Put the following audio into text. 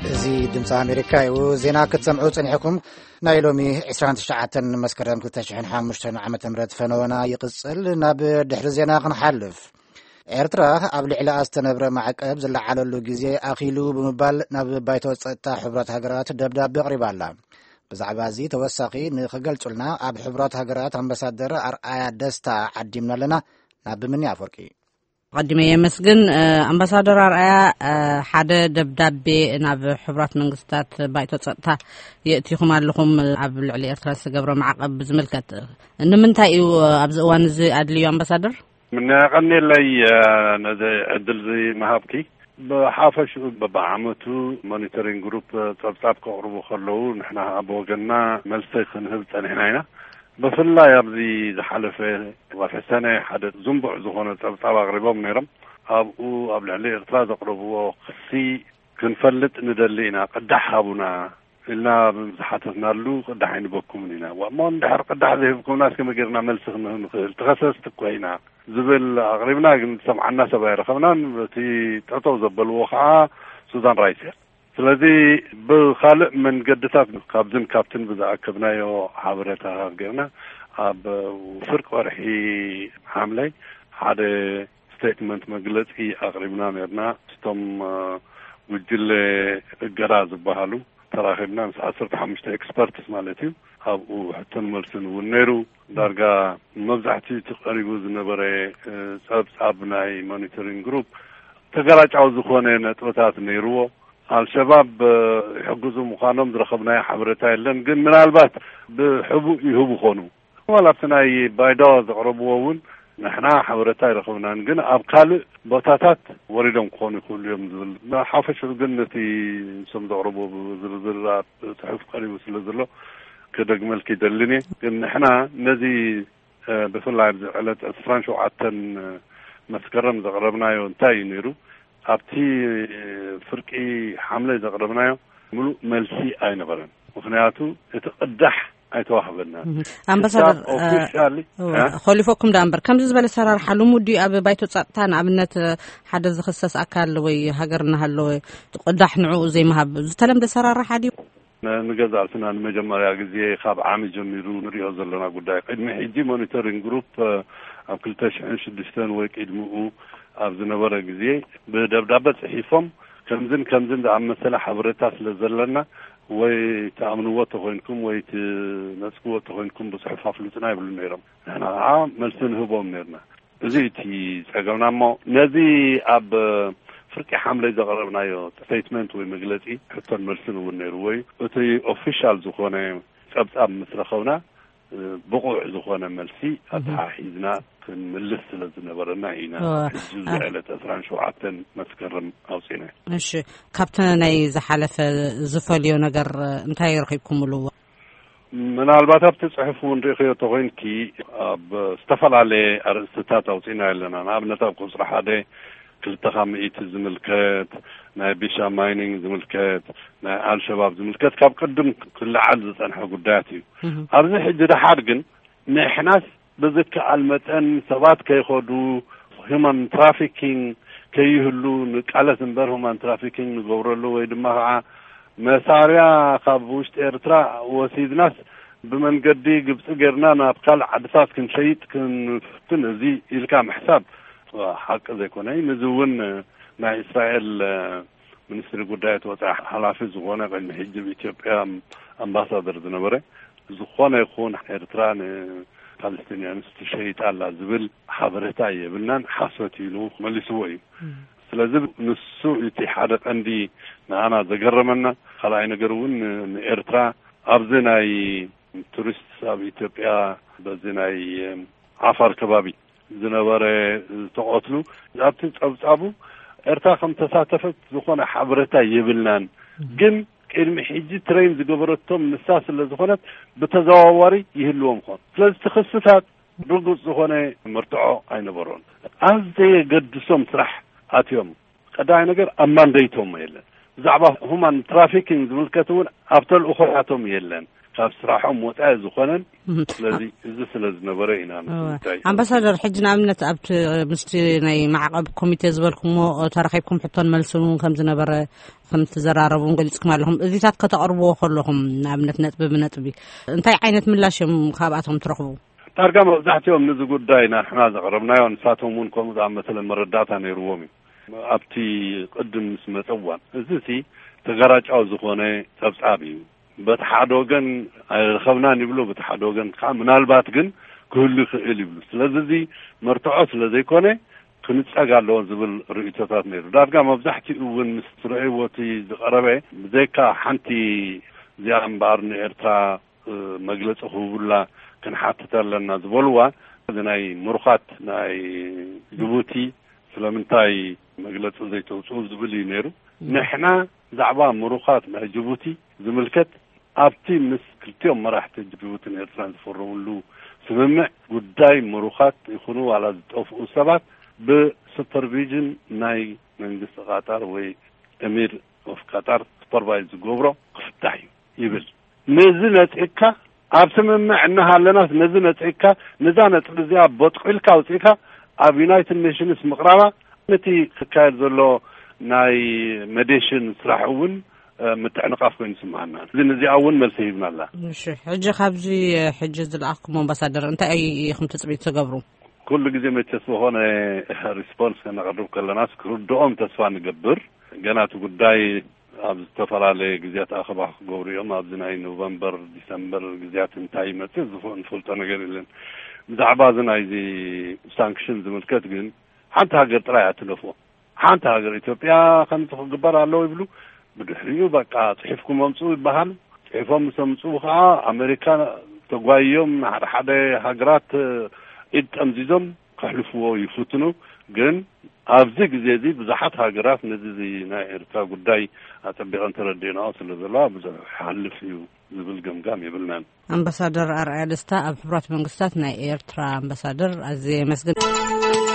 እዚ ድምፂ ኣሜሪካ እዩ። ዜና ክትሰምዑ ጸኒሕኩም። ናይ ሎሚ ዕስራን ትሽዓተን መስከረም ክልተ ሽሕን ሓሙሽተን ዓመተ ምህረት ፈነወና ይቕጽል። ናብ ድሕሪ ዜና ክንሓልፍ። ኤርትራ ኣብ ልዕሊኣ ዝተነብረ ማዕቀብ ዝለዓለሉ ግዜ ኣኺሉ ብምባል ናብ ባይቶ ጸጥታ ሕቡራት ሃገራት ደብዳቤ ኣቕሪባ ኣላ። ብዛዕባ እዚ ተወሳኺ ንኽገልጹልና ኣብ ሕቡራት ሃገራት ኣምባሳደር ኣርኣያ ደስታ ዓዲምና ኣለና። ናብ ምኒ ኣፈወርቂ። ኣቐዲመ የመስግን። ኣምባሳደር ኣርኣያ፣ ሓደ ደብዳቤ ናብ ሕቡራት መንግስታት ባይቶ ጸጥታ የእቲኹም ኣለኹም፣ ኣብ ልዕሊ ኤርትራ ዝተገብረ ማዕቐብ ብዝምልከት። ንምንታይ እዩ ኣብዚ እዋን እዚ ኣድልዩ ኣምባሳደር? ምንያ ቀኒለይ ነዚ ዕድል እዚ ምሃብኪ። ብሓፈሽኡ በብዓመቱ ሞኒተሪንግ ግሩፕ ጸብጻብ ከቕርቡ ከለዉ ንሕና ኣብ ወገንና መልሲ ክንህብ ጸኒሕና ኢና። ብፍላይ ኣብዚ ዝሓለፈ ወርሒ ሰነ ሓደ ዝንቡዕ ዝኾነ ጸብጻብ ኣቕሪቦም ነይሮም። ኣብኡ ኣብ ልዕሊ ኤርትራ ዘቕረብዎ ክሲ ክንፈልጥ ንደሊ ኢና፣ ቅዳሕ ሃቡና ኢልና ዝሓተትናሉ ቅዳሕ ኣይንበኩምን ኢና። እሞ እንድሕር ቅዳሕ ዘይህብኩምና እስከ መጌርና መልሲ ክንህብ ንኽእል? ተኸሰስቲ እኮ ኢና ዝብል ኣቕሪብና፣ ግን ዝሰምዓና ሰብ ኣይረኸብናን። እቲ ጠጠው ዘበልዎ ከዓ ሱዛን ራይስ እያ። ስለዚ ብኻልእ መንገድታት ካብዝን ካብትን ብዝኣከብናዮ ሓበሬታታት ጌርና ኣብ ፍርቂ ወርሒ ሓምለይ ሓደ ስቴትመንት መግለጺ ኣቕሪብና ነርና። ስቶም ጉጅለ እገዳ ዝበሃሉ ተራኺብና ምስ ዓሰርተ ሓሙሽተ ኤክስፐርትስ ማለት እዩ። ኣብኡ ሕቶን መልስን እውን ነይሩ። ዳርጋ መብዛሕትኡ እቲ ቀሪቡ ዝነበረ ጸብጻብ ናይ ሞኒተሪንግ ግሩፕ ተገላጫዊ ዝኾነ ነጥብታት ነይርዎ። ኣልሸባብ ይሕግዙ ምዃኖም ዝረኸብናዮ ሓበሬታ የለን፣ ግን ምናልባት ብሕቡእ ይህቡ ኾኑ። ዋላ ኣብቲ ናይ ባይዳዋ ዘቕረብዎ እውን ንሕና ሓበሬታ ኣይረኸብናን፣ ግን ኣብ ካልእ ቦታታት ወሪዶም ክኾኑ ይኽእሉ እዮም ዝብል። ብሓፈሽኡ ግን ነቲ ንሶም ዘቕረብዎ ብዝርዝር ኣብ ጽሑፍ ቀሪቡ ስለ ዘሎ ክደግመልኪ ይደልን እየ። ግን ንሕና ነዚ ብፍላይ ኣብዚ ዕለት ዕስራን ሸውዓተን መስከረም ዘቕረብናዮ እንታይ እዩ ነይሩ? ኣብቲ ፍርቂ ሓምለ ዘቕረብናዮ ምሉእ መልሲ ኣይነበረን። ምኽንያቱ እቲ ቅዳሕ ኣይተዋህበናን። ኣምባሳደር፣ ኦፊሻሊ፣ እ? ኾሊፎኩም ደኣ እምበር፣ ከምዚ ዝበለ ሰራርሓ ልሙድ ድዩ ኣብ ባይቶ ጸጥታ? ንኣብነት፣ ሓደ ዝኽሰስ ኣካል ወይ ሃገር እናሃለወ ቅዳሕ ንዕኡ ዘይምሃብ ዝተለምደ ሰራርሓ ድዩ? ንገዛእ ርእስና ንመጀመርያ ግዜ ካብ ዓሚ ጀሚሩ ንሪኦ ዘለና ጉዳይ። ቅድሚ ሕጂ ሞኒተሪንግ ግሩፕ ኣብ ክልተ ሽሕን ሽዱሽተን ወይ ቅድሚኡ ኣብ ዝነበረ ግዜ ብደብዳበ ጽሒፎም ከምዝን ከምዝን ዝኣመሰለ ሓበሬታ ስለ ዘለና ወይ ትኣምንዎ ተኾይንኩም ወይ ትነጽግዎ ተኾይንኩም ብጽሑፍ ኣፍልጡና ይብሉ ነይሮም። ንሕና ከዓ መልሲ ንህቦም ነርና። እዚ እቲ ጸገምና። እሞ ነዚ ኣብ ፍርቂ ሓምለይ ዘቕረብናዮ ስቴትመንት ወይ መግለጺ ሕቶን መልስን እውን ነይርዎ እዩ። እቲ ኦፊሻል ዝኾነ ጸብጻብ ምስ ረኸብና፣ ብቑዕ ዝኾነ መልሲ ኣተሓሒዝና ክንምልስ ስለ ዝነበረና ኢና ሕጂ ኣብዚ ዕለት ዕስራን ሸውዓተን መስከረም ኣውጺእና። እሺ፣ ካብቲ ናይ ዝሓለፈ ዝፈልዮ ነገር እንታይ ረኺብኩምሉ? ምናልባት ኣብቲ ጽሑፍ እውን ርኢኽዮ ተኾይንኪ፣ ኣብ ዝተፈላለየ ኣርእስትታት ኣውጺእና ኣለና። ንኣብነት ኣብ ቁጽሪ ሓደ ክልተ ካብ ምእቲ ዝምልከት፣ ናይ ቢሻ ማይኒንግ ዝምልከት፣ ናይ ኣልሸባብ ዝምልከት ካብ ቅድም ክለዓል ዝጸንሐ ጉዳያት እዩ። ኣብዚ ሕጂ ደሓር ግን ንሕናስ ብዝከኣል መጠን ሰባት ከይኸዱ፣ ሁማን ትራፊኪንግ ከይህሉ ንቃለስ እምበር፣ ሁማን ትራፊኪንግ ንገብረሉ ወይ ድማ ከዓ መሳርያ ካብ ውሽጢ ኤርትራ ወሲድናስ ብመንገዲ ግብፂ ጌርና ናብ ካልእ ዓድታት ክንሸይጥ ክንፍትን፣ እዚ ኢልካ ምሕሳብ ሓቂ ዘይኮነ። ነዚ እውን ናይ እስራኤል ሚኒስትሪ ጉዳያት ወፃኢ ሓላፊ ዝኾነ፣ ቅድሚ ሕጂ ኣብ ኢትዮጵያ ኣምባሳደር ዝነበረ፣ ዝኾነ ይኹን ኤርትራ ንፓለስቲንያንስ ትሸይጥ ኣላ ዝብል ሓበሬታ የብልናን፣ ሓሶት ኢሉ መሊስዎ እዩ። ስለዚ ንሱ እቲ ሓደ ቀንዲ ንኣና ዘገረመና። ካልኣይ ነገር እውን ንኤርትራ ኣብዚ ናይ ቱሪስት ኣብ ኢትዮጵያ በዚ ናይ ዓፋር ከባቢ ዝነበረ ዝተቐትሉ፣ ኣብቲ ጸብጻቡ ኤርትራ ከም ተሳተፈት ዝኾነ ሓበሬታ የብልናን። ግን ቅድሚ ሕጂ ትሬን ዝገበረቶም ንሳ ስለ ዝኾነት ብተዘዋዋሪ ይህልዎም ኾን። ስለዚ እቲ ክስታት ርጉጽ ዝኾነ መርትዖ ኣይነበሮን። ኣብ ዘየገድሶም ስራሕ ኣትዮም። ቀዳማይ ነገር ኣብ ማንደይቶም የለን። ብዛዕባ ሁማን ትራፊኪንግ ዝምልከት እውን ኣብ ተልእኾታቶም የለን። ካብ ስራሖም ወፃኢ ዝኾነን። እህ። ስለዚ እዚ ስለ ዝነበረ ኢና እወ። ምስታይ ኣምባሳደር፣ ሕጂ ንኣብነት ኣብቲ ምስቲ ናይ ማዕቐብ ኮሚቴ ዝበልኩሞ ተረኺብኩም ሕቶን መልስን እውን ከም ዝነበረ ከም ትዘራረቡ እውን ገሊጽኩም ኣለኹም። እዚታት ከተቕርብዎ ከለኹም ንኣብነት ነጥቢ ብነጥቢ እንታይ ዓይነት ምላሽ እዮም ካብኣቶም ትረኽቡ? ዳርጋ መብዛሕትኦም ነዚ ጉዳይ ናሕና ዘቕረብናዮ፣ ንሳቶም እውን ከምኡ ዝኣመሰለ መረዳእታ ነይርዎም እዩ። ኣብቲ ቅድም ምስ መጸ እዋን፣ እዚ እቲ ተጋራጫዊ ዝኾነ ጸብጻብ እዩ። በቲ ሓደ ወገን ኣይረኸብናን ይብሉ፣ በቲ ሓደ ወገን ከዓ ምናልባት ግን ክህሉ ይኽእል ይብሉ። ስለዚ እዚ መርትዖ ስለ ዘይኮነ ክንጸግ ኣለዎ ዝብል ርእይቶታት ነይሩ። ዳርጋ መብዛሕትኡ እውን ምስ ረእይዎ እቲ ዝቐረበ፣ ብዘይካ ሓንቲ እዚኣ እምበኣር ንኤርትራ መግለጺ ክህቡላ ክንሓትት ኣለና ዝበልዋ፣ እዚ ናይ ምሩኻት ናይ ጅቡቲ ስለምንታይ መግለጺ ዘይተውጽኡ ዝብል እዩ ነይሩ። ንሕና ብዛዕባ ምሩኻት ናይ ጅቡቲ ዝምልከት ኣብቲ ምስ ክልቲኦም መራሕቲ ጅቡትን ኤርትራን ዝፈረምሉ ስምምዕ፣ ጉዳይ ምሩኻት ይኹኑ ዋላ ዝጠፍኡ ሰባት ብሱፐርቪዥን ናይ መንግስቲ ቃጣር ወይ ኤሚር ኦፍ ቃጣር ሱፐርቫይዝ ዝገብሮ ክፍታሕ እዩ ይብል። ነዚ ነጺግካ፣ ኣብ ስምምዕ እናሃለናስ ነዚ ነጺግካ፣ ነዛ ነጥቢ እዚኣ በጥቂልካ ኣውጺእካ ኣብ ዩናይትድ ኔሽንስ ምቕራባ፣ ነቲ ክካየድ ዘሎ ናይ መዴሽን ስራሕ እውን ምትዕንቓፍ ኮይኑ ይስምዓና። እዚ ነዚኣ እውን መልሲ ሂብና ኣላ። እሺ፣ ሕጂ ካብዚ ሕጂ ዝለኣኽኩም ኣምባሳደር እንታይ ኢኹም ትጽቢት ትገብሩ? ኩሉ ግዜ መቸስ ዝኾነ ሪስፖንስ ከነቕርብ ከለናስ ክርድኦም ተስፋ ንገብር። ገና እቲ ጉዳይ ኣብ ዝተፈላለየ ግዜያት ኣኸባ ክገብሩ እዮም። ኣብዚ ናይ ኖቨምበር፣ ዲሰምበር ግዜያት እንታይ ይመጽእ ዝፍ-፣ ንፈልጦ ነገር የለን። ብዛዕባ እዚ ናይዚ ሳንክሽን ዝምልከት ግን ሓንቲ ሃገር ጥራይ ኣትለፍዎ። ሓንቲ ሃገር ኢትዮጵያ ከምዚ ክግበር ኣለዎ ይብሉ። ብድሕሪኡ በቃ ጽሒፍኩም ኣምጽኡ ይበሃል። ጽሒፎም ምስ ኣምጽኡ ከዓ ኣሜሪካ ተጓይዮም ንሓደ ሓደ ሃገራት ኢድ ጠምዚዞም ከሕልፍዎ ይፍትኑ። ግን ኣብዚ ግዜ እዚ ብዙሓት ሃገራት ነዚ እዚ ናይ ኤርትራ ጉዳይ ኣጸቢቐን ተረዲእናኦ ስለ ዘለዋ ብዙሕ ይሓልፍ እዩ ዝብል ገምጋም የብልናን። ኣምባሳደር ኣርኣያ ደስታ፣ ኣብ ሕቡራት መንግስታት ናይ ኤርትራ ኣምባሳደር፣ ኣዝየ የመስግን።